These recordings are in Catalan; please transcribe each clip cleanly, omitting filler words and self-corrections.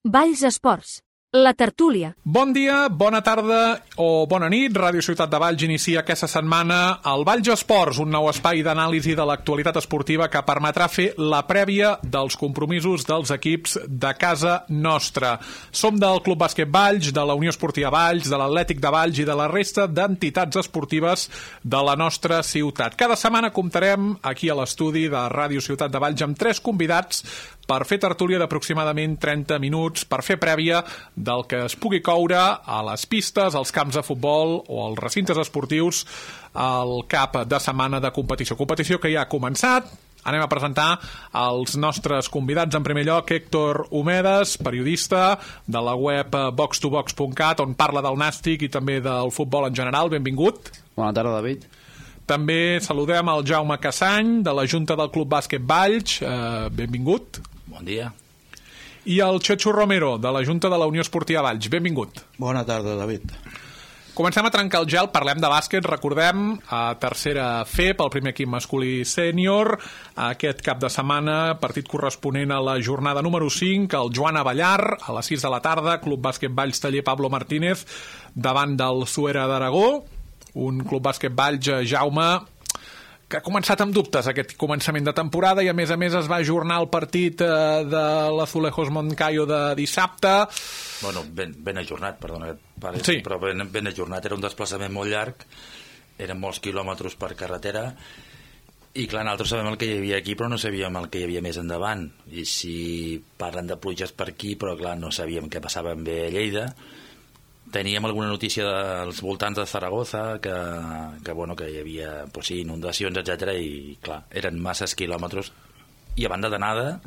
Valls Esports, la tertúlia. Bon dia, bona tarda o bona nit. Ràdio Ciutat de Valls inicia aquesta setmana el Valls Esports, un nou espai d'anàlisi de l'actualitat esportiva que permetrà fer la prèvia dels compromisos dels equips de casa nostra. Som del Club Bàsquet Valls, de la Unió Esportiva Valls, de l'Atlètic de Valls i de la resta d'entitats esportives de la nostra ciutat. Cada setmana comptarem aquí a l'estudi de Ràdio Ciutat de Valls amb 3 convidats per fer tertúlia d'aproximadament 30 minuts, per fer prèvia del que es pugui coure a les pistes, als camps de futbol o als recintes esportius al cap de setmana de competició. Competició que ja ha començat. Anem a presentar els nostres convidats. En primer lloc, Héctor Homedes, periodista de la web box2box.cat, on parla del nàstic i també del futbol en general. Benvingut. Bona tarda, David. També saludem el Jaume Cassany, de la Junta del Club Bàsquet Valls. Benvingut. Bon dia. I el Chechu Romero, de la Junta de la Unió Esportiva Valls. Benvingut. Bona tarda, David. Comencem a trencar el gel, parlem de bàsquet, recordem, a tercera FEP, el primer equip masculí sènior, aquest cap de setmana, partit corresponent a la jornada número 5, el Joan Avellar, a les 6 de la tarda, Club Bàsquet Valls Taller Pablo Martínez, davant del Suera d'Aragó, un Club Bàsquet Valls, Jaume, que ha començat amb dubtes aquest començament de temporada i a més es va ajornar el partit de l'Azulejos Moncayo de dissabte. Bueno, ben ajornat, perdona, sí. Però ben ajornat, era un desplaçament molt llarg, eren molts quilòmetres per carretera i clar, nosaltres sabem el que hi havia aquí però no sabíem el que hi havia més endavant, i si parlen de pluges per aquí, però clar, no sabíem què passava amb a Lleida. Teníem alguna notícia dels voltants de Zaragoza que hi havia inundacions, etc. I clar, eren masses quilòmetres i a banda d'anada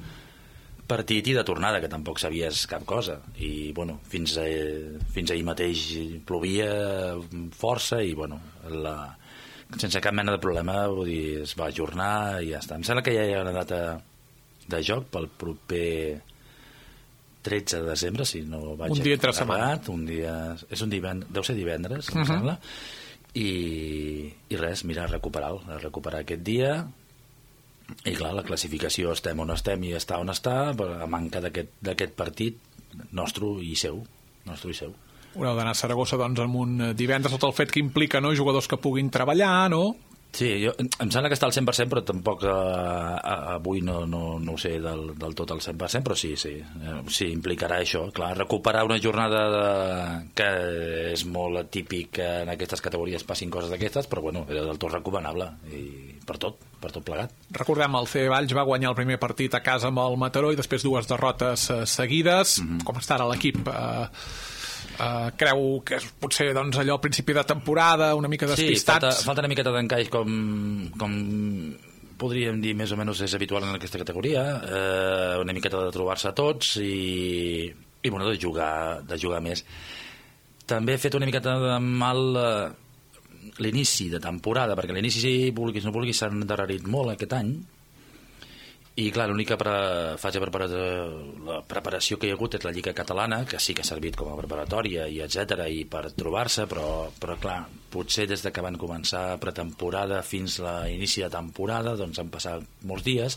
partit i de tornada, que tampoc sabies cap cosa, i bueno, fins ahir mateix plovia força i bueno, sense cap mena de problema, vull dir, es va ajornar i ja està. Em sembla que ja hi ha una data de joc pel proper 13 de desembre, si no vaig un dia entre setmana. Deu ser divendres, em sembla. I res, mira, recuperar aquest dia. I clar, la classificació estem on estem i està on està, a manca d'aquest partit nostre i seu. Haureu d'anar a Saragossa doncs amb un divendres, tot el fet que implica, no?, jugadors que puguin treballar, no? Sí, em sembla que està al 100%, però tampoc avui no ho sé del tot al 100%, però sí, implicarà això. Clar, recuperar una jornada que és molt atípic que en aquestes categories passin coses d'aquestes, però bueno, era del tot recomanable, i per tot plegat. Recordem, el CB Valls va guanyar el primer partit a casa amb el Mataró i després 2 derrotes seguides. Com està ara l'equip? Creu que és potser doncs, allò al principi de temporada, una mica despistats? Sí, falta una miqueta d'encaix com podríem dir més o menys és habitual en aquesta categoria, una miqueta de trobar-se tots i bueno, de jugar més. També he fet una miqueta de mal l'inici de temporada, perquè l'inici, si vulguis no vulguis, s'ha endarrerit molt aquest any. I clar, l'única fase la preparació que hi ha hagut és la Lliga Catalana, que sí que ha servit com a preparatòria i etc. i per trobar-se, però clar, potser des de que van començar pretemporada fins a l'inici de temporada doncs han passat molts dies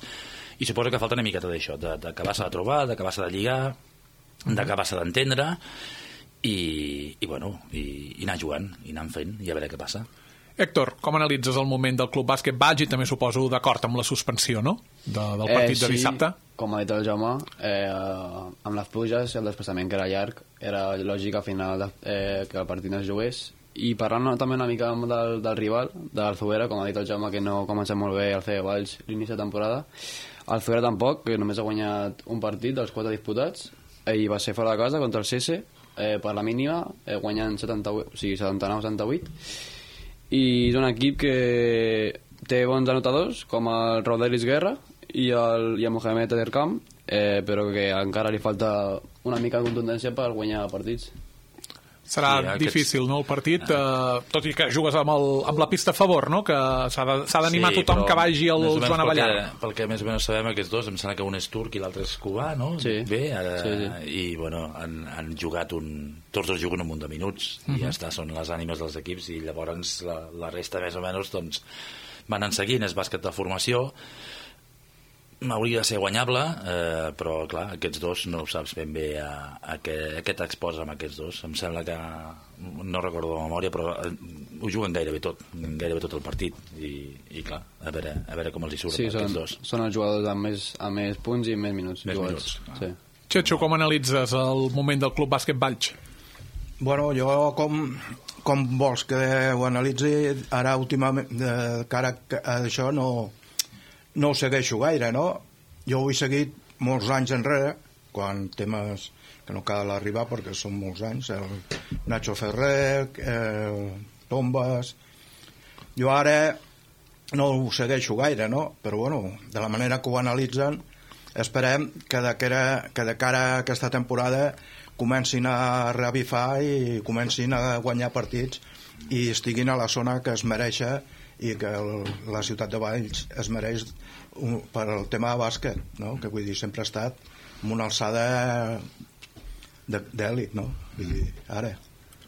i suposo que falta una miqueta d'això, d'acabar-se de trobar, d'acabar-se de lligar, d'acabar-se d'entendre i anar jugant i anar fent i a veure què passa. Héctor, com analitzes el moment del Club Bàsquet Valls i també suposo d'acord amb la suspensió, no?, del partit de dissabte? Sí, com ha dit el Jaume, amb les pluges i el desplaçament que era llarg, era lògic al final que el partit no es jugués. I parlant també una mica del rival, de l'Alzuera, com ha dit el Jaume, que no ha començat molt bé el CB Valls l'inici de temporada. L'Alzuera tampoc, que només ha guanyat un partit dels 4 disputats, i va ser fora de casa contra el CS, per la mínima, guanyant 79-78. I és un equip que té bons anotadors com el Rodelis Guerra i el Mohamed Ederkam, però que encara li falta una mica de contundència per guanyar partits. Serà difícil, no, el partit, tot i que jugues amb la pista a favor, no?, que s'ha d'animar tothom que vagi al Joan Avellar. Pel que més o menys sabem, aquests dos, em sembla que un és turc i l'altre és cubà, no? Sí. Bé, i bueno, han jugat tots dos juguen un munt de minuts i ja està, són les ànimes dels equips i llavors la resta més o menys doncs van en seguint, és bàsquet de formació. hauria de ser guanyable, però clar, aquests dos no ho saps ben bé a què t'exposa amb aquests dos. Em sembla que, no recordo de memòria, però ho juguen gairebé tot el partit, i clar, a veure com els hi surt aquests dos. Són els jugadors amb més punts i més minuts. Sí. Txetxo, com analitzes el moment del Club Bàsquet Valls? Bueno, jo com vols que ho analitzi ara últimament, cara a això no ho segueixo gaire, no? Jo ho he seguit molts anys enrere, quan temes que no cal arribar perquè són molts anys, el Nacho Ferrer, Tombas. Jo ara no ho segueixo gaire, no? Però bueno, de la manera que ho analitzen, esperem que de cara a aquesta temporada comencin a revifar i comencin a guanyar partits i estiguin a la zona que es mereix i que la ciutat de Valls es mereix per al tema de bàsquet, no? Que vull dir, sempre ha estat amb una alçada d'èlit, no? Vull dir, ara.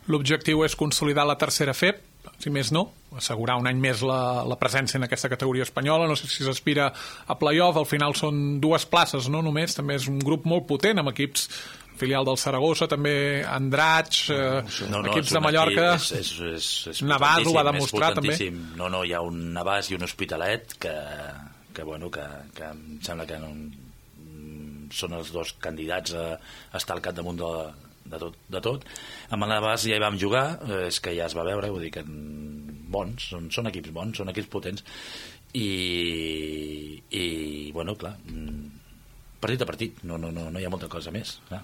L'objectiu és consolidar la tercera FEP, si més no, assegurar un any més la presència en aquesta categoria espanyola. No sé si s'aspira a play-off, al final són 2 places, no només, també és un grup molt potent amb equips filial del Saragossa, també Andratx, equips de Mallorca. Navàs ho va demostrar també. No, hi ha un Navàs i un Hospitalet que em sembla que són els dos candidats a estar al capdamunt de tot. Amb el Navàs ja hi vam jugar, és que ja es va veure, vull dir que bons, són equips bons, són equips potents, i bueno, clar, partit a partit, no hi ha molta cosa més, clar.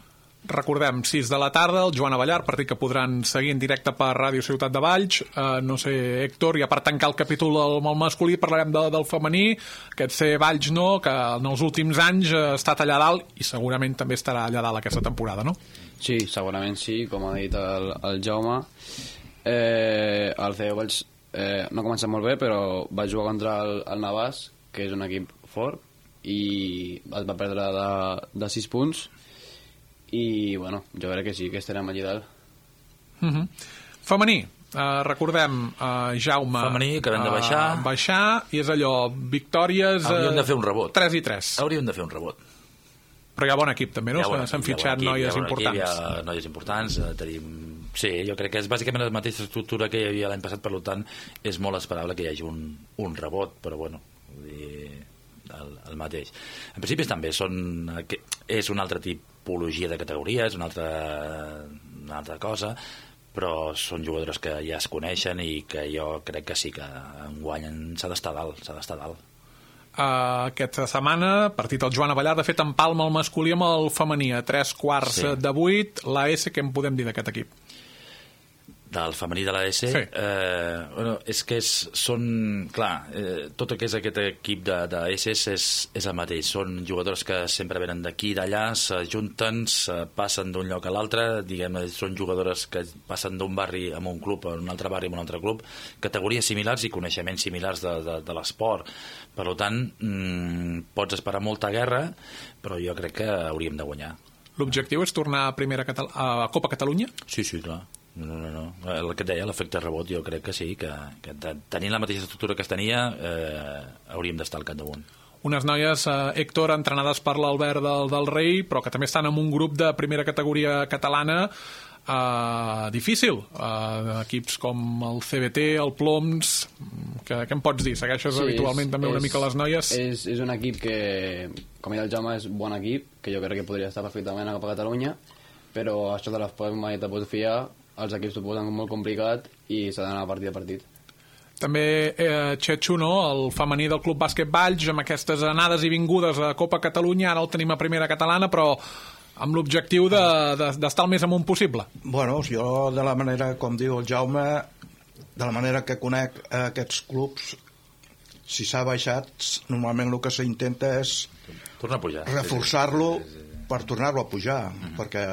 Recordem, 6 de la tarda, el Joan Avellar, partit que podran seguir en directe per Ràdio Ciutat de Valls. No sé, Héctor, ja per tancar el capítol del masculí parlarem del femení, aquest ser Valls, no?, que en els últims anys ha estat allà dalt i segurament també estarà allà dalt aquesta temporada, no? Sí, segurament sí, com ha dit el Jaume. El CEO Valls no ha començat molt bé, però va jugar contra el Navàs, que és un equip fort, i es va perdre de 6 punts, i bueno, jo crec que sí, que estarem allà dalt. Femení, recordem, Jaume, femení, que acabem de baixar, i és allò, victòries, hauríem de fer un rebot, 3 i 3. Hauríem de fer un rebot, però hi ha bon equip també, no? S'han fitxat noies importants. Hi ha noies importants, tenim... Sí, jo crec que és bàsicament la mateixa estructura que hi havia l'any passat, per tant és molt esperable que hi hagi un rebot, però bueno, el mateix. En principi també és un altre tipologia de categoria, és una altra cosa, però són jugadores que ja es coneixen i que jo crec que sí que enguany s'ha d'estar dalt. Aquesta setmana, partit al Joan Avellar, de fet empalma el masculí amb el femení a 3/4 de 8. La S, què en podem dir d'aquest equip? Del femení de la S? Sí. És que tot el que és aquest equip de SS és el mateix, són jugadors que sempre venen d'aquí i d'allà, s'ajunten, passen d'un lloc a l'altre, diguem-ne, són jugadores que passen d'un barri a un club, a un altre barri a un altre club, categories similars i coneixements similars de l'esport. Per tant, pots esperar molta guerra, però jo crec que hauríem de guanyar. L'objectiu és tornar a Copa Catalunya? Sí, clar. No. El que et deia, l'efecte rebot, jo crec que sí, que tenint la mateixa estructura que es tenia, hauríem d'estar al capdamunt. Unes noies, Héctor, entrenades per l'Albert del Rei, però que també estan en un grup de primera categoria catalana difícil. Equips com el CBT, el Ploms, què em pots dir? Segueixes habitualment també una mica les noies? És un equip que, com ha dit el Jaume, és un bon equip, que jo crec que podria estar perfectament a Copa Catalunya, però això de l'esport mai te pots fiar, els equips t'ho posen molt complicat i s'ha d'anar partit a partit. També Txetxo, no? El femení del Club Bàsquet Valls, amb aquestes anades i vingudes a Copa Catalunya, ara el tenim a primera catalana, però amb l'objectiu d'estar el més amunt possible. Bueno, jo de la manera, com diu el Jaume, de la manera que conec aquests clubs, si s'ha baixat, normalment el que s'intenta és tornar a pujar, reforçar-lo per tornar-lo a pujar, perquè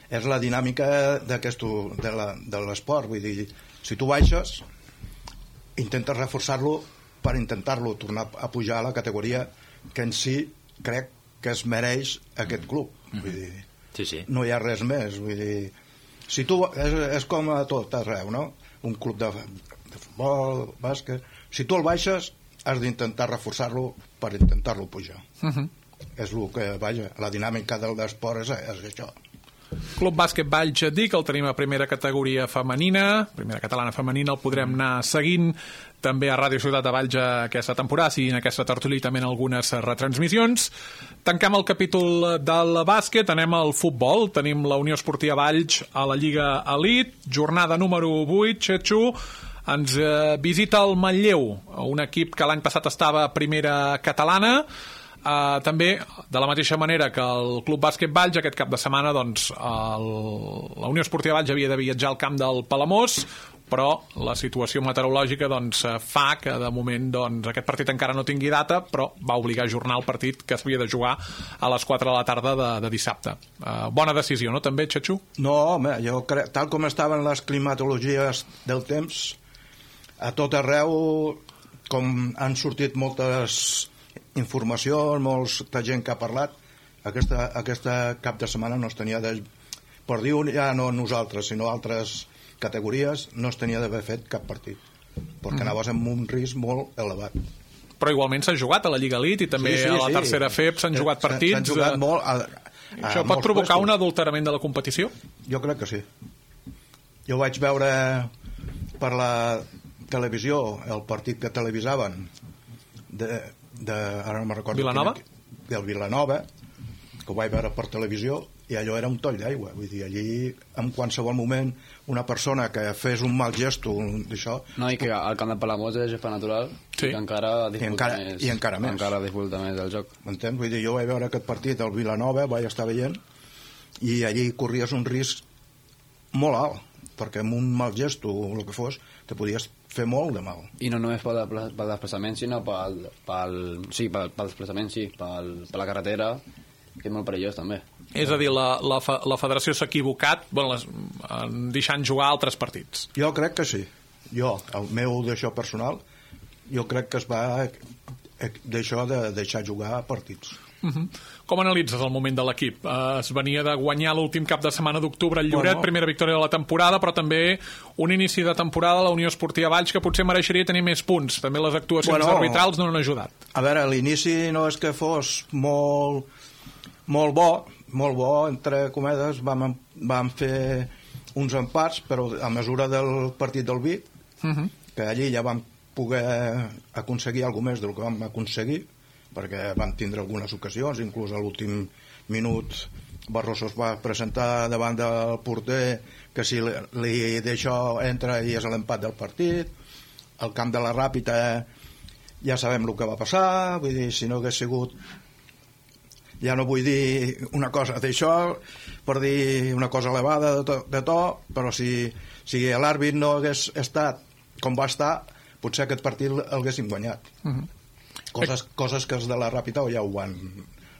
és la dinàmica de l'esport. Vull dir, si tu baixes, intentes reforçar-lo per intentar-lo tornar a pujar a la categoria que en si crec que es mereix aquest club. Vull dir, sí. No hi ha res més. Vull dir, si tu, és com a tot arreu, no? Un club de futbol, bàsquet, si tu el baixes, has d'intentar reforçar-lo per intentar-lo pujar. És el que, vaja, la dinàmica del esport és això. Club Bàsquet Valls Dic, el tenim a primera categoria femenina, primera catalana femenina, el podrem anar seguint també a Ràdio Ciutat de Valls aquesta temporada, i en aquesta tertúlia també en algunes retransmissions. Tanquem el capítol del bàsquet, anem al futbol. Tenim la Unió Esportiva Valls a la Lliga Elite, jornada número 8, Xetxo, ens visita el Manlleu, un equip que l'any passat estava a primera catalana. També, de la mateixa manera que el Club Bàsquet Valls, aquest cap de setmana doncs, la Unió Esportiva Valls havia de viatjar al camp del Palamós, però la situació meteorològica doncs, fa que de moment doncs, aquest partit encara no tingui data, però va obligar a ajornar el partit que s'havia de jugar a les 4 de la tarda de dissabte. Bona decisió, no també, Xetxo? No, home, jo crec, tal com estaven les climatologies del temps, a tot arreu, com han sortit moltes informacions, molta gent que ha parlat, aquesta cap de setmana no es tenia de... Per dir ja no nosaltres, sinó altres categories, no es tenia d'haver fet cap partit, perquè anaves amb un risc molt elevat. Però igualment s'ha jugat a la Lliga Elite i també a la tercera FEP s'han jugat partits. S'han jugat molt... Això pot provocar un adulterament de la competició? Jo crec que sí. Jo vaig veure per la televisió el partit que televisaven ara no me'n recordo Vilanova? Del Vilanova, que ho vaig veure per televisió, i allò era un toll d'aigua, vull dir, allí en qualsevol moment una persona que fes un mal gesto d'això... No, i que al camp de Palamós és gespa natural, sí. I que encara dificulta més. Encara dificulta més el joc. M'entens? Vull dir, jo vaig veure aquest partit al Vilanova, vaig estar veient, i allí corries un risc molt alt, perquè amb un mal gesto o el que fos, te podies fer molt de mal. I no només pel desplaçament, sinó pel desplaçament, sí, per la carretera, que és molt perillós també. És a dir, la federació s'ha equivocat deixant jugar altres partits. Jo crec que sí. Jo, el meu d'això personal, jo crec que es va d'això de deixar jugar partits. Com analitzes el moment de l'equip? Es venia de guanyar l'últim cap de setmana d'octubre al Lloret, primera victòria de la temporada, però també un inici de temporada a la Unió Esportiva Valls que potser mereixeria tenir més punts. També les actuacions arbitrals no han ajudat. A veure, l'inici no és que fos molt bo, entre cometes, vam fer uns empats, però a mesura del partit del Vic, que allí ja vam poder aconseguir alguna més del que vam aconseguir, perquè vam tindre algunes ocasions, inclús a l'últim minut Barroso es va presentar davant del porter que si li d'això entra i és l'empat del partit. Al camp de la Ràpita ja sabem el que va passar, vull dir, si no hagués sigut, ja no vull dir una cosa d'això per dir una cosa elevada de to, però si l'àrbit no hagués estat com va estar, potser aquest partit l'haguéssim guanyat. Coses que els de la Ràpita ja ho van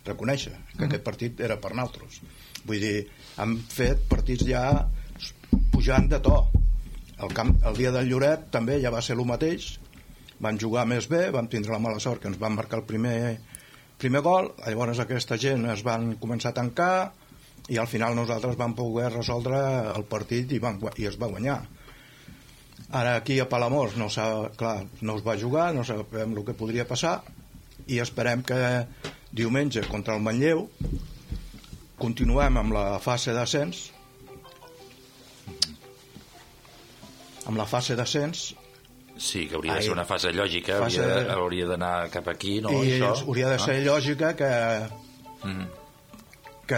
reconèixer, que aquest partit era per nosaltres. Vull dir, hem fet partits ja pujant de to. El dia del Lloret també ja va ser el mateix, vam jugar més bé, vam tindre la mala sort que ens van marcar el primer gol, llavors aquesta gent es van començar a tancar i al final nosaltres vam poder resoldre el partit i es va guanyar. Ara aquí a Palamós no es va jugar, no sabem el que podria passar i esperem que diumenge contra el Manlleu continuem amb la fase d'ascens sí, que hauria de ser una fase lògica, hauria d'anar cap aquí, no? I això, hauria de ser lògica que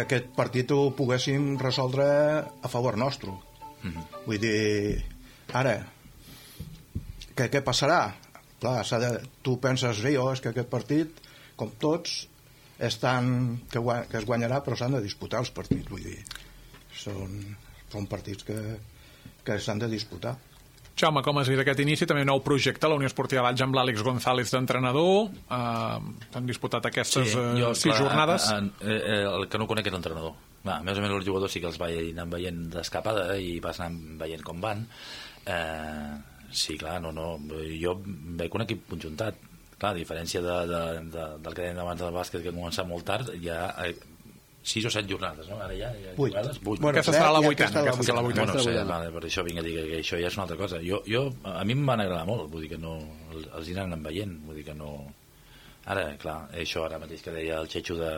aquest partit ho poguéssim resoldre a favor nostre. Vull dir, ara què passarà? Clar, tu penses, és que aquest partit, com tots, és tant que es guanyarà, però s'han de disputar els partits, vull dir, són partits que s'han de disputar. Jaume, com has vist aquest inici? També un nou projecte, la Unió Esportiva Valls amb l'Àlex González d'entrenador. Han disputat aquestes 6 jornades. El que no conec és l'entrenador. Més o menys els jugadors sí que els vaig anar veient d'escapada i vas anar veient com van. Sí, clar, jo veig un equip conjuntat. Clar, a diferència del que dèiem abans del bàsquet, que comença molt tard, ja 6 o 7 jornades, no? Ara ja 8. jugades, 8. Bueno, Aquesta serà la i vuitena. Aquesta serà la Bueno, vuitena. no sé, vale, per això vinc a dir que això ja és una altra cosa. A mi em van agradar molt, vull dir que no, els hi anen veient, vull dir que no... Ara, clar, això ara mateix que deia el Xetxo de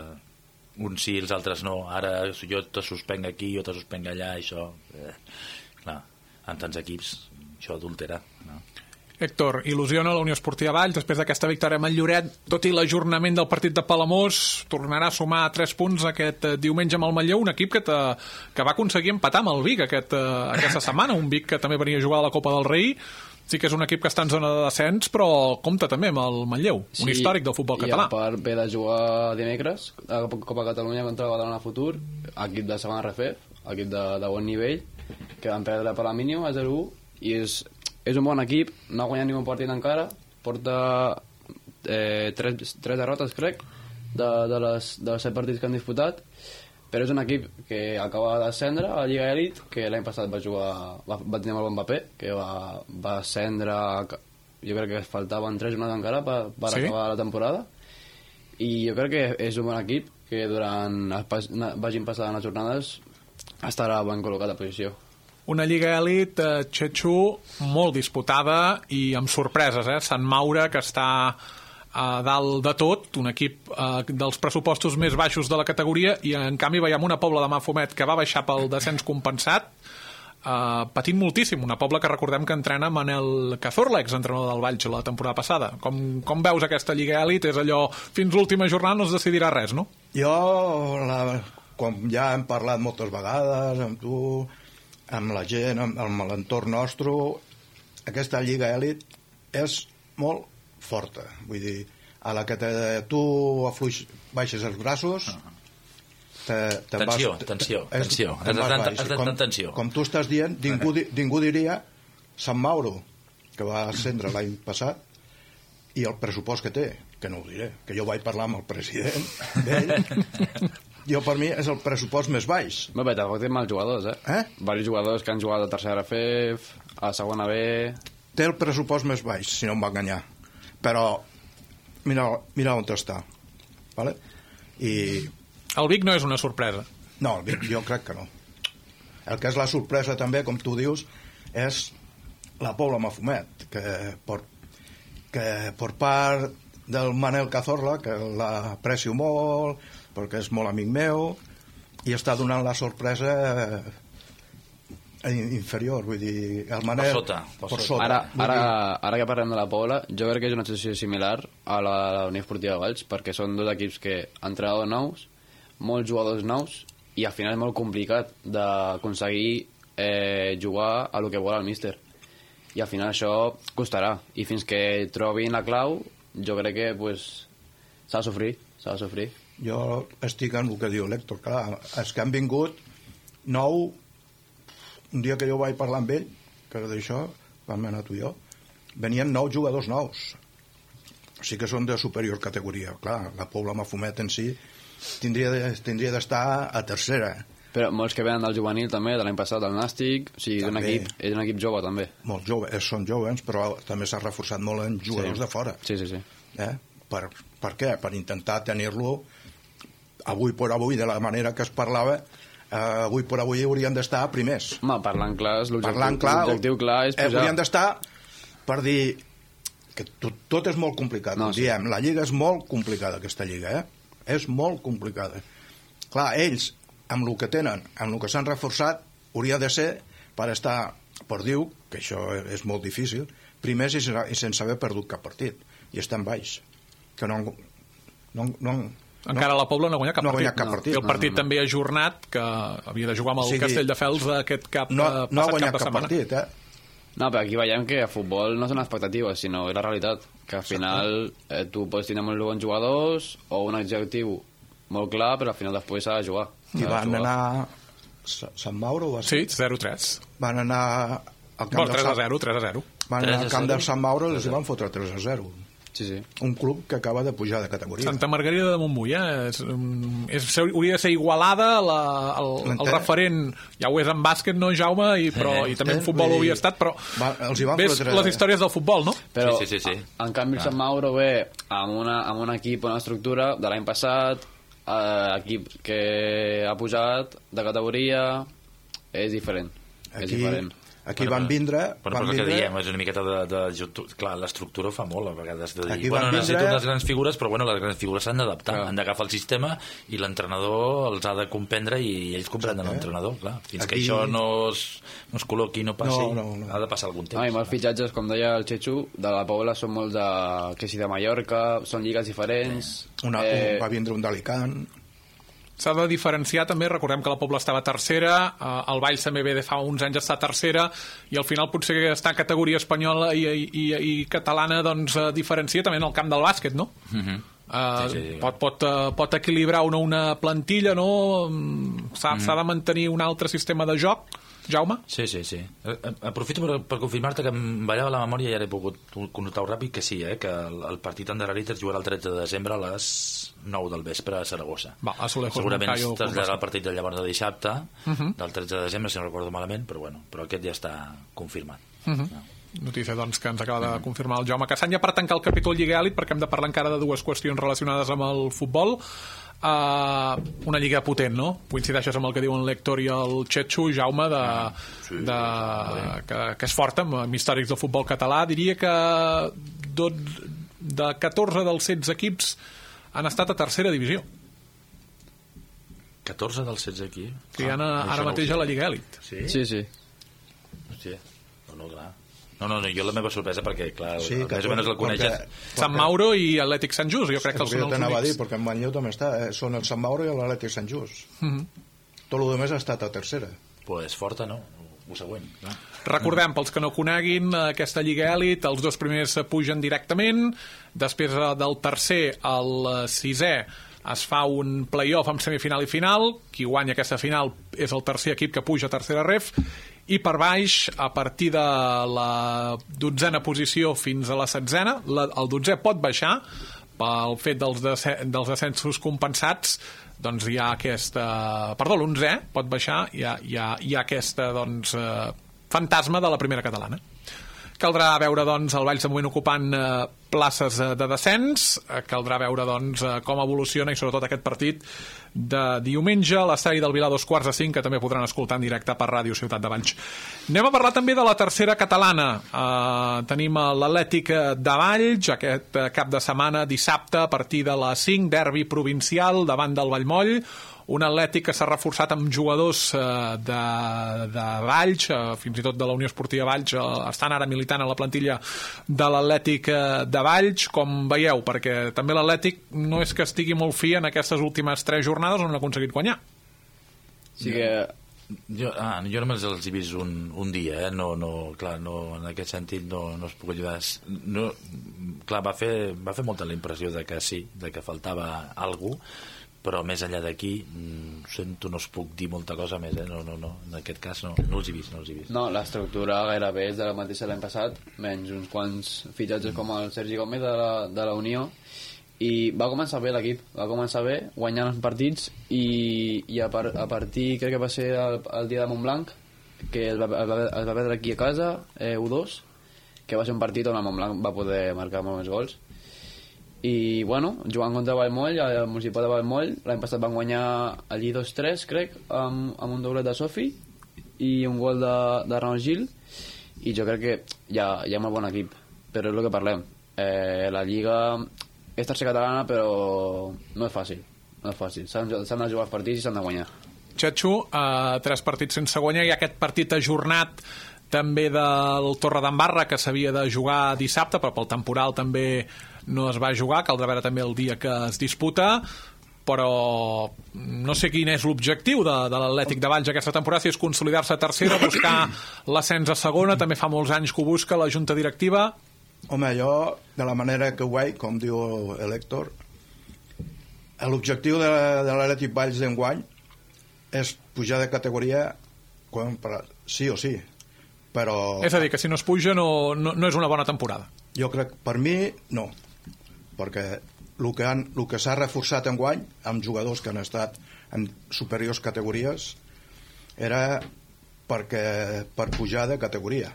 uns sí, els altres no, ara jo te suspenc aquí, jo te suspenc allà, això... Clar, en tants equips, això adultera, no? Héctor, il·lusiona la Unió Esportiva Valls després d'aquesta victòria amb el Lloret, tot i l'ajornament del partit de Palamós, tornarà a sumar 3 punts aquest diumenge amb el Manlleu, un equip que va aconseguir empatar amb el Vic aquesta setmana, un Vic que també venia a jugar a la Copa del Rei. Sí que és un equip que està en zona de descens, però compta també amb el Manlleu, un històric del futbol català. I a part ve de jugar dimecres a Copa Catalunya contra el Badalona Futur, equip de segona RFF, equip de bon nivell, que van perdre per la mínima a 0-1, i és un bon equip, no ha guanyat ningú partit encara, porta 3 derrotes, crec, de les 7 partits que han disputat, però és un equip que acaba de descendre a la Lliga Elite, que l'any passat va tenir amb el Mbappé, que va ascendre, jo crec que faltaven 3 jornades encara per acabar la temporada, i jo crec que és un bon equip que durant vagin passant les jornades estarà ben col·locat a posició. Una Lliga Elit, Xetxo, molt disputada i amb sorpreses, Sant Maure, que està a dalt de tot, un equip dels pressupostos més baixos de la categoria, i en canvi veiem una Pobla de Mafumet que va baixar pel descens compensat, patint moltíssim, una Pobla que recordem que entrena Manel Cazorla, exentrenador del Valls la temporada passada. Com veus aquesta Lliga Elit? És allò, fins l'última jornada no es decidirà res, no? Jo, com ja hem parlat moltes vegades amb tu, amb la gent, amb l'entorn nostre, aquesta Lliga Elit és molt forta. Vull dir, a la que tu baixes els braços, Tensió. Com tu estàs dient, ningú diria Sant Mauro, que va ascendre l'any passat, i el pressupost que té, que no ho diré, que jo vaig parlar amb el president d'ell. Jo, per mi, és el pressupost més baix. Bé, tampoc té mals jugadors, Varis jugadors que han jugat a tercera FF, a segona B... Té el pressupost més baix, si no em va enganyar. Però, mira on està. Vale? I... El Vic no és una sorpresa. No, el Vic jo crec que no. El que és la sorpresa també, com tu dius, és la Pobla Mafumet, que per part del Manel Cazorla, que l'aprecio molt, perquè és molt amic meu, i està donant la sorpresa inferior, vull dir, el Manel... Per sota. Ara que parlem de la Pobla, jo crec que és una situació similar a la Unió Esportiva Valls, perquè són dos equips que han entrenadors nous, molts jugadors nous, i al final és molt complicat d'aconseguir jugar a lo que vol el míster. I al final això costarà, i fins que trobin la clau, jo crec que s'ha de sofrir. Jo estic en el que diu l'Héctor, clar, és que han vingut 9, un dia que jo vaig parlar amb ell, que d'això, vam anar tu i jo, venien 9 jugadors nous. O sigui que són de superior categoria. Clar, la Pobla Mafumet en si tindria d'estar a tercera. Però molts que venen del juvenil també, de l'any passat, del Nàstic, o sigui, és un equip jove també. Molt jove, són joves, però també s'ha reforçat molt en jugadors de fora. Sí. Per què? Per intentar tenir-lo avui per avui, de la manera que es parlava, avui per avui haurien d'estar primers. Home, parlant clar, l'objectiu clar és pujar. Haurien d'estar per dir que tot és molt complicat. No, sí. Diem, la lliga és molt complicada, aquesta lliga, és molt complicada. Clar, ells, amb el que tenen, amb el que s'han reforçat, hauria de ser per estar, per dir que això és molt difícil, primers i sense haver perdut cap partit, i estan baix, que encara la Pobla no ha guanyat cap partit. I el partit també ajornat, que havia de jugar amb el Castelldefels aquest cap no ha guanyat cap partit, No, però aquí veiem que a futbol no són expectatives, sinó és la realitat, que al final tu pots tenir molts bons jugadors o un objectiu molt clar, però al final després s'ha de jugar. I van anar a Sant Mauro, va ser? Sí, 0-3. Van anar al camp 3-0. Van anar al camp del Sant Mauro i els van fotre 3-0. Sí. Un club que acaba de pujar de categoria. Santa Margarida de Montbui, hauria de ser Igualada, el referent, ja ho és en bàsquet, no, Jaume, i també en futbol ho havia estat, però ves les històries del futbol, no? Però, sí. en canvi, el Sant Mauro ve amb un equip, una estructura de l'any passat, equip que ha pujat de categoria és diferent. Aquí van vindre... Però el que diem és una miqueta clar, l'estructura fa molt a vegades de dir, Aquí necessito unes grans figures, però les grans figures s'han d'adaptar, han d'agafar el sistema i l'entrenador els ha de comprendre i ells comprenen l'entrenador, clar. Fins que això no es col·loqui, no passi, ha de passar algun temps. I molts fitxatges, com deia el Chechu, de la Pobla són molts que si de Mallorca, són lligues diferents. Va vindre un d'Alicant. S'ha de diferenciar també, recordem que la Pobla estava tercera, el Valls també ve de fa uns anys estar tercera, i al final potser està en categoria espanyola i catalana, doncs diferencia també en el camp del bàsquet, no? Sí. Pot equilibrar una plantilla, no? S'ha de mantenir un altre sistema de joc, Jaume? Sí. Aprofito per confirmar-te que em ballava la memòria i ara he pogut connotar-ho ràpid que sí, que el partit Anderlecht es jugarà el 13 de desembre a les 9 del vespre a Saragossa. Segurament es traslladarà el partit de llavors de dissabte, del 13 de desembre, si no recordo malament, però aquest ja està confirmat. Notícia, doncs, que ens acaba de confirmar el Jaume Cassany. Per tancar el capítol Lliga Elit, perquè hem de parlar encara de dues qüestions relacionades amb el futbol. Una lliga potent, no? Coincideixes amb el que diuen l'Héctor i el Chechu, Jaume, que és forta amb històrics del futbol català. Diria que de 14 dels 16 equips han estat a tercera divisió. 14 dels 16 equips? Que hi ha ara mateix a la Lliga Elit. Sí. Hòstia, no, clar. No, jo la meva sorpresa perquè, clar, més o menys el coneixes. Sant Mauro i Atlètic Sant Just, jo crec que els són els únics. A dir, perquè en Manlleu també està, són el Sant Mauro i l'Atlètic Sant Just. Tot el demés ha estat a tercera. Pues forta, no? Ho següent. Recordem, pels que no coneguin aquesta Lliga Elit, els dos primers pugen directament, després del tercer al sisè es fa un play-off amb semifinal i final, qui guanya aquesta final és el tercer equip que puja a tercera ref, i per baix, a partir de la 12a posició fins a la 7a, el 12è pot baixar pel fet dels ascensos compensats, doncs hi ha aquesta... Perdó, l'11è pot baixar, hi ha aquesta fantasma de la primera catalana. Caldrà veure, doncs, el Valls de moment ocupant places de descens, caldrà veure, doncs, com evoluciona i sobretot aquest partit de diumenge a l'estadi del Vilar 4:45, que també podran escoltar en directe per Ràdio Ciutat de Valls. Anem a parlar també de la tercera catalana. Tenim l'Atlètic de Valls aquest cap de setmana, dissabte, a partir de les 5, derbi provincial davant del Vallmoll, un Atlètic que s'ha reforçat amb jugadors de Valls, fins i tot de la Unió Esportiva Valls, estan ara militant a la plantilla de l'Atlètic de Valls, com veieu, perquè també l'Atlètic no és que estigui molt fi en aquestes últimes 3 jornades on ha aconseguit guanyar. Sí que... Jo només els he vist un dia, clar, en aquest sentit no es puc ajudar. Clar, va fer molta la impressió de que sí, de que faltava algú, però més enllà d'aquí sento, no us puc dir molta cosa més, no, en aquest cas no els he vist. No, l'estructura gairebé és de la mateixa l'any passat, menys uns quants fitxatges com el Sergi Gómez de la Unió, i va començar bé l'equip, guanyant els partits, i a partir, crec que va ser el dia de Montblanc, que es va perdre aquí a casa, 1-2, que va ser un partit on el Montblanc va poder marcar molts més gols. I bueno, jugant contra Vallmoll, el Municipal de Vallmoll, l'any passat van guanyar allí 2-3, crec, amb un doblet de Sofi i un gol de Ramon Gil, i jo crec que hi ha molt bon equip, però és el que parlem. La Lliga és tercera catalana, però no és fàcil. S'han de jugar els partits i s'han de guanyar. Chechu, 3 partits sense guanyar, i aquest partit ajornat també del Torredembarra, que s'havia de jugar dissabte, però pel temporal també no es va jugar, caldrà veure també el dia que es disputa, però no sé quin és l'objectiu de l'Atlètic de Valls aquesta temporada, si és consolidar-se a tercera, buscar l'ascens a segona, també fa molts anys que ho busca la Junta Directiva. Home, jo, de la manera que ho veig, com diu l'Héctor, l'objectiu de l'Atlètic Valls d'enguany és pujar de categoria sí o sí, però... És a dir, que si no es puja no és una bona temporada. Jo crec, per mi, no, perquè el que s'ha reforçat enguany amb jugadors que han estat en superiors categories era per pujar de categoria,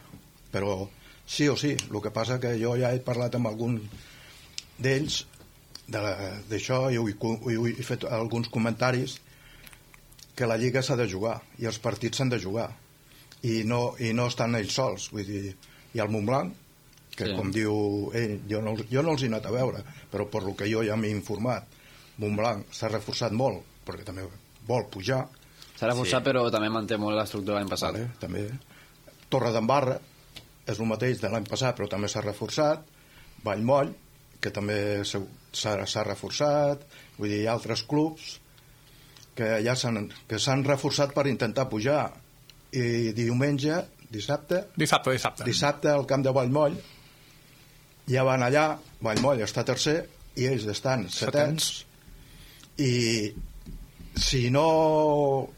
però sí o sí. El que passa que jo ja he parlat amb algun d'ells d'això jo he fet alguns comentaris que la Lliga s'ha de jugar i els partits s'han de jugar i no estan ells sols, vull dir, hi ha el Montblanc que com diu ell, jo no els he anat a veure, però per lo que jo ja m'he informat, Montblanc s'ha reforçat molt perquè també vol pujar, s'ha reforçat però també manté molt l'estructura l'any passat, també. Torredembarra és el mateix de l'any passat però també s'ha reforçat, Vallmoll que també s'ha reforçat, vull dir, hi ha altres clubs que ja s'han reforçat per intentar pujar, i dissabte al camp de Vallmoll ja van allà, Vallmoll està tercer i ells estan setens i si no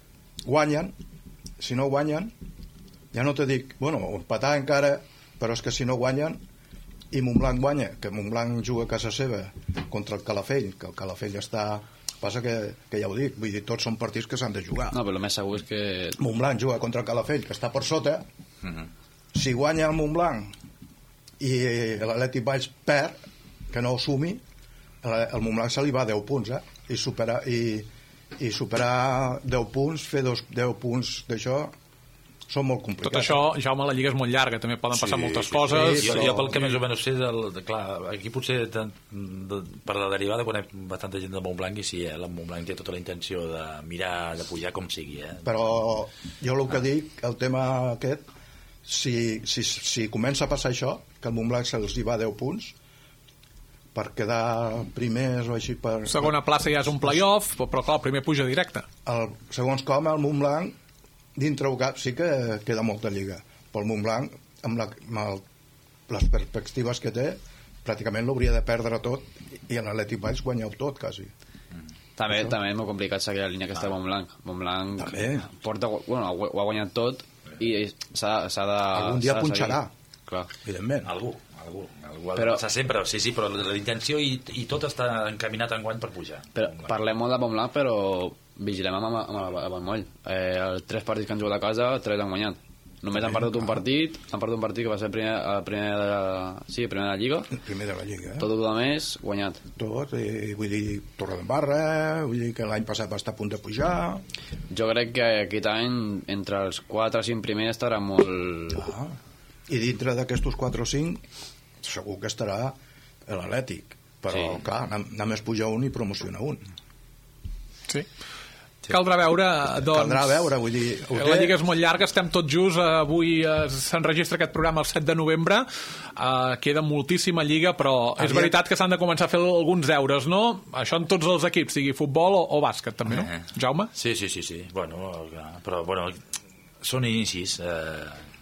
guanyen ja no te dic, bueno, empatar encara, però és que si no guanyen i Montblanc guanya, que Montblanc juga a casa seva contra el Calafell, que el Calafell passa que ja ho dic, vull dir, tots són partits que s'han de jugar. No, però el més segur és que Montblanc juga contra el Calafell, que està per sota, si guanya el Montblanc i l'Atlètic Valls perd, que no ho sumi, el Montblanc se li va 10 punts, i superar 10 punts, fer 10 punts d'això, són molt complicats. Tot això, Jaume, la Lliga és molt llarga, també poden passar moltes coses. Jo pel que més o menys sé, clar, aquí potser per la derivada conec bastanta gent de Montblanc i sí, el Montblanc té tota la intenció de mirar de pujar com sigui. Però jo el que dic, el tema aquest, si comença a passar això, que el Montblanc se'ls hi va 10 punts, per quedar primers o així per... Segona plaça ja és un play-off, però clar, el primer puja directe. Segons com, el Montblanc dintre el cap sí que queda molta lliga, però el Montblanc amb les perspectives que té pràcticament l'hauria de perdre tot i l'Atlètic Valls guanyeu tot quasi. També és molt complicat seguir la línia que està Montblanc porta, bueno, ho ha guanyat tot i s'ha de algun dia punxarà, clar, evidentment algú però sempre, sí, però la intenció i tot està encaminat enguany per pujar. Parlem molt de Montblanc, però vigilem amb el Vallmoll. Els 3 partits que han jugat a casa, 3 han guanyat. Només han perdut un partit que va ser el primer de la Lliga. El primer de la Lliga, Tot el més, guanyat. Tot, vull dir, Torredembarra, vull dir que l'any passat va estar a punt de pujar. Jo crec que aquest any, entre els 4 o 5 primers, estarà molt... I dintre d'aquestos 4 o 5, segur que estarà l'Atlètic. Però, clar, només puja un i promociona un. Sí. Caldrà veure, doncs... Caldrà veure, vull dir... La Lliga és molt llarga, estem tots just, avui s'enregistra aquest programa el 7 de novembre, queda moltíssima Lliga, però és veritat que s'han de començar a fer alguns deures, no? Això en tots els equips, sigui futbol o bàsquet, també, no? Jaume? Sí. Bueno, però, són inicis,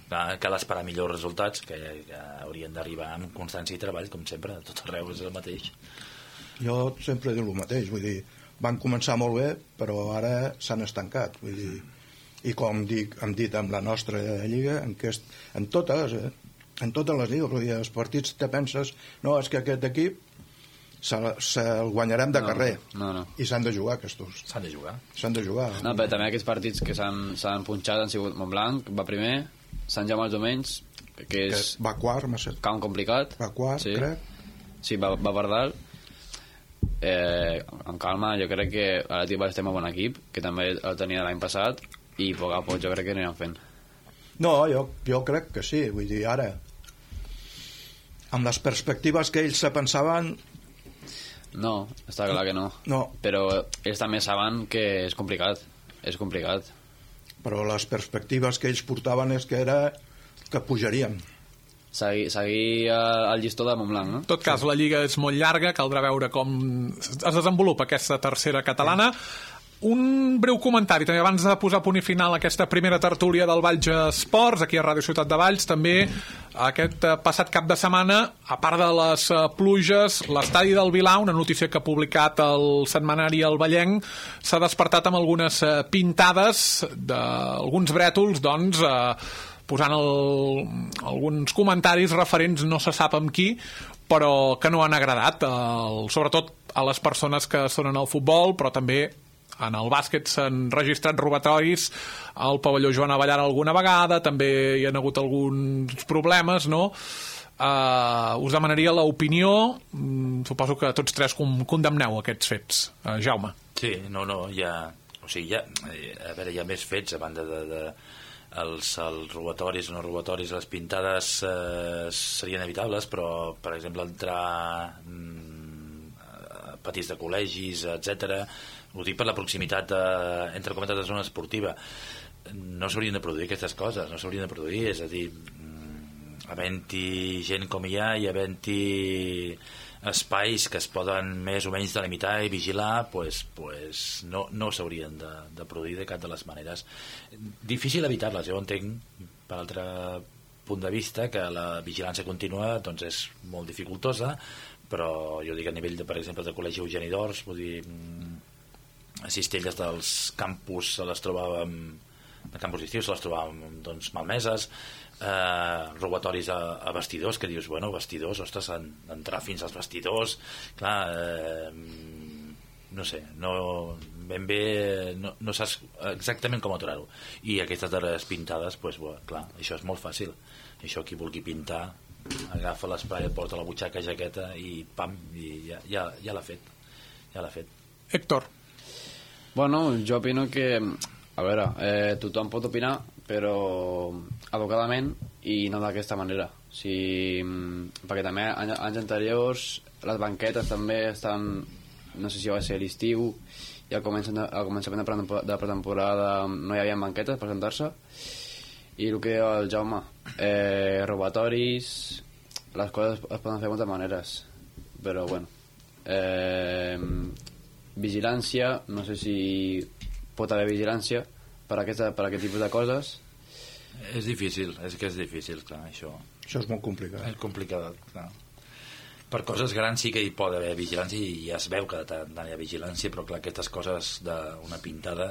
cal esperar millors resultats, que haurien d'arribar amb constància i treball, com sempre, a tot arreu és el mateix. Jo sempre dic el mateix, vull dir, van començar molt bé, però ara s'han estancat, vull dir, i com hem dit amb la nostra lliga, en totes les lligues, vull dir, els partits te penses, no, és que aquest equip se'l guanyarem de carrer, i s'han de jugar aquests. S'han de jugar. No, però també aquests partits que s'han punxat han sigut Montblanc, va primer, Sant Jaume els Domenys, que va quart, camp complicat, va quart, crec. Sí, va per dalt. Amb calma, jo crec que l'Atlètic Valls té un bon equip, que també el tenia l'any passat, i a poc a poc jo crec que aniran fent. No, jo crec que sí, vull dir, ara amb les perspectives que ells se pensaven, no, està clar que no, però ells també saben que és complicat, però les perspectives que ells portaven és que era que pujaríem, seguir el llistó de Montblanc, no? En tot cas, la Lliga és molt llarga, caldrà veure com es desenvolupa aquesta tercera catalana. Un breu comentari, també abans de posar punt i final a aquesta primera tertúlia del Valls Esports, aquí a Ràdio Ciutat de Valls, també aquest passat cap de setmana, a part de les pluges, l'estadi del Vilar, una notícia que ha publicat el setmanari El Vallenc, s'ha despertat amb algunes pintades d'alguns brètols, doncs, posant alguns comentaris referents, no se sap amb qui, però que no han agradat, sobretot a les persones que són en el futbol, però també en el bàsquet s'han registrat robatoris al pavelló Joan Abellar alguna vegada, també hi ha hagut alguns problemes, no? us demanaria l'opinió. Suposo que tots tres condemneu aquests fets. Jaume. Sí, no, hi ha... O sigui, a veure, hi ha més fets a banda de els robatoris o no robatoris, les pintades serien evitables, però, per exemple, entrar a patis de col·legis, etc. Ho dic per la proximitat entre cometes de zona esportiva. No s'haurien de produir aquestes coses, no s'haurien de produir, és a dir, havent-hi gent com hi ha i havent-hi espais que es poden més o menys delimitar i vigilar, pues no s'haurien de produir de cap de les maneres. Difícil evitar-les, jo entenc per altre punt de vista que la vigilància contínua doncs és molt dificultosa, però jo dic a nivell de, per exemple, de col·legi Eugeni d'Ors, vull dir, a cistelles dels campus se les trobàvem, de campus estius se les trobàvem doncs malmeses, robatoris a vestidors, que dius, bueno, vestidors, ostres, entrar fins als vestidors, clar, no sé, ben bé no saps exactament com aturar-ho, i aquestes darreres pintades, pues, bueno, clar, això és molt fàcil, això qui vulgui pintar agafa l'esprai, et porta la butxaca, jaqueta i pam, i ja l'ha fet. Héctor. Bueno, jo opino que, a veure, tothom pot opinar, però educadament i no d'aquesta manera. Perquè també anys anteriors les banquetes també estan, no sé si va ser l'estiu, i al començament de pretemporada no hi havia banquetes per sentar-se, i el que diu el Jaume, robatoris, les coses es poden fer de moltes maneres, però bueno, vigilància, no sé si pot haver vigilància per aquest tipus de coses. És difícil, clar, això. Això és molt complicat. És complicat, clar. Per coses grans sí que hi pot haver vigilància i ja es veu que tant hi ha vigilància, però clar, aquestes coses d'una pintada,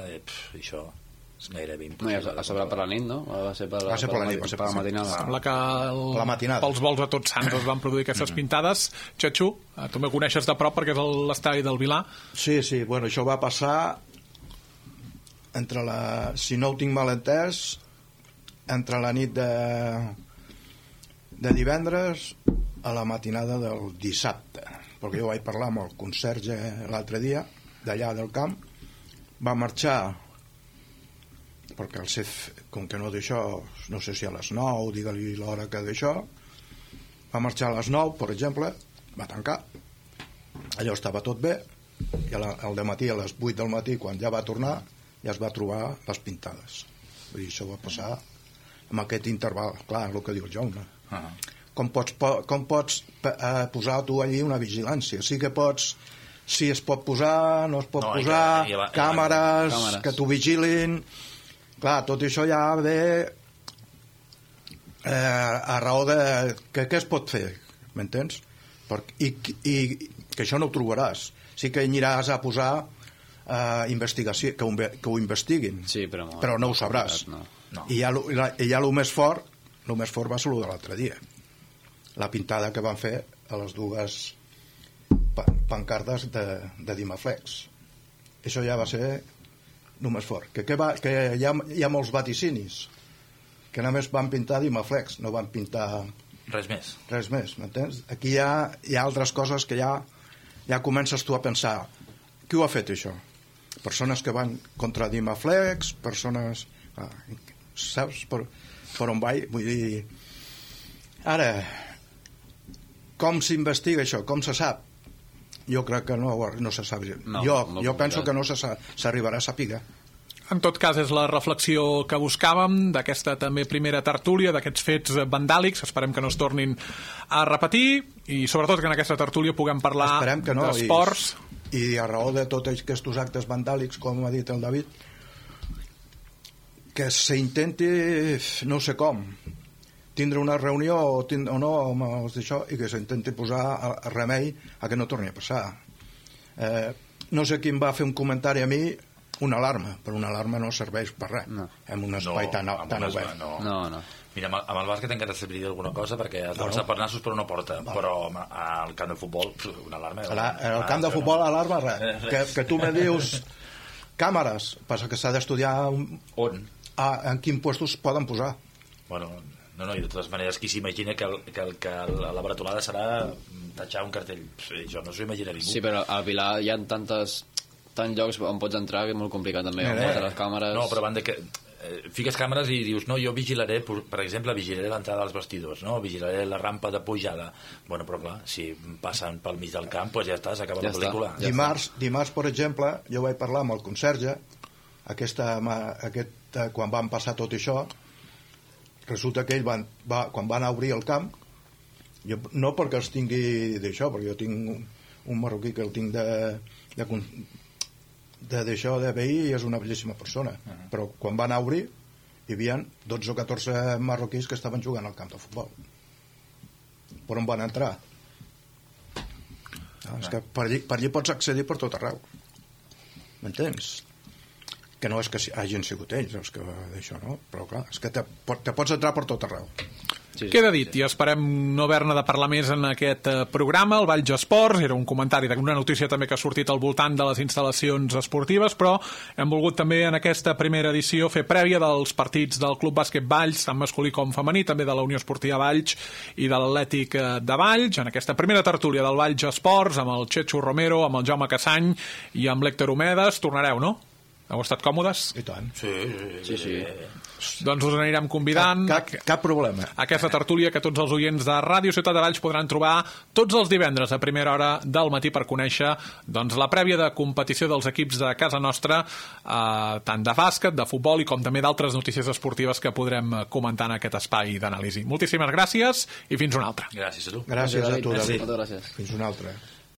això és gairebé impossible. No, a sobre per la nit, no? Va ser per la matinada. Sembla que pels vols de Tots Sants es van produir aquestes pintades. Txatxu, tu me coneixes de prop perquè és l'estadi del Vilà. Sí, bueno, això va passar entre si no ho tinc mal entès, entre la nit de divendres a la matinada del dissabte, perquè jo vaig parlar amb el conserge l'altre dia d'allà del camp, va marxar perquè el CEF, com que no d'això, no sé si a les 9, digue-li l'hora que d'això, va marxar a les 9, per exemple, va tancar, allò estava tot bé, i al dematí, a les 8 del matí, quan ja va tornar, ja es va trobar les pintades. Vull dir, això va passar amb aquest interval, clar, el que diu el Jaume. Com pots posar tu allí una vigilància? Sí que pots, si es pot posar, no es pot posar, càmeres que t'ho vigilin. Clar, tot això ja ve a raó de què es pot fer, m'entens? I que això no ho trobaràs. Sí que aniràs a posar investigació, que ho investiguin, sí, però no ho sabràs. No. I ja el més fort va ser el de l'altre dia, la pintada que van fer a les dues pancartes de Dimaflex. Això ja va ser el més fort, que hi ha molts vaticinis que només van pintar Dimaflex, no van pintar res més, m'entens? Aquí hi ha altres coses que ja comences tu a pensar, qui ho ha fet això? Persones que van contra Dimaflex, persones... saps per on vaig? Vull dir... Ara, com s'investiga això? Com se sap? Jo crec que no se sap. Jo penso que no s'arribarà a saber. En tot cas, és la reflexió que buscàvem d'aquesta també primera tertúlia, d'aquests fets vandàlics. Esperem que no es tornin a repetir i sobretot que en aquesta tertúlia puguem parlar d'esports. I a raó de tots aquests actes vandàlics, com ha dit el David, que s'intenti, no sé com, tindre una reunió o no amb els d'això, i que s'intenti posar remei a que no torni a passar. No sé qui em va fer un comentari a mi, una alarma, però una alarma no serveix per res en un espai tan obert. No. Mira, amb el bàsquet encara serviria alguna cosa perquè es llança per nassos per una porta, però al camp de futbol una alarma... Al camp de futbol alarma res, que tu me dius càmeres, passa que s'ha d'estudiar on? En quins puestos poden posar. Bueno, No, i de totes maneres, qui s'imagina que la bretolada serà tatxar un cartell? Jo no s'ho imagina ningú. Sí, però al Pilar hi ha tants llocs on pots entrar que és molt complicat també, on pots les càmeres... No, però van de que... fiques càmeres i dius, no, jo vigilaré, per exemple, vigilaré l'entrada dels vestidors, no? Vigilaré la rampa de pujada. Bueno, però clar, si passen pel mig del camp, doncs ja està, s'acaba la pel·lícula. Dimarts, per exemple, jo vaig parlar amb el conserge, quan van passar tot això, resulta que ell quan van obrir el camp, jo, no perquè els tingui d'això, perquè jo tinc un marroquí que el tinc d'això de veí i és una bellíssima persona, però quan van obrir hi havia 12 o 14 marroquís que estaven jugant al camp de futbol. Per on van entrar? És que per allí pots accedir per tot arreu, m'entens? Que no és que hagin sigut ells els que d'això, no? Però clar, és que te pots entrar per tot arreu. Queda dit, i esperem no haver-ne de parlar més en aquest programa. El Valls Esports era un comentari d'una notícia també que ha sortit al voltant de les instal·lacions esportives, però hem volgut també en aquesta primera edició fer prèvia dels partits del Club Bàsquet Valls, tant masculí com femení, també de la Unió Esportiva Valls i de l'Atlètic de Valls, en aquesta primera tertúlia del Valls Esports, amb el Chechu Romero, amb el Jaume Cassany i amb l'Héctor Homedes. Tornareu, no? Heu estat còmodes? I tant. Sí. Doncs us anirem convidant cap problema a aquesta tertúlia que tots els oients de Ràdio Ciutat de Valls podran trobar tots els divendres a primera hora del matí per conèixer la prèvia de competició dels equips de casa nostra, tant de bàsquet, de futbol i com també d'altres notícies esportives que podrem comentar en aquest espai d'anàlisi. Moltíssimes gràcies i fins una altra. Gràcies a tu. Gràcies a tu, David. Moltes gràcies. Fins una altra.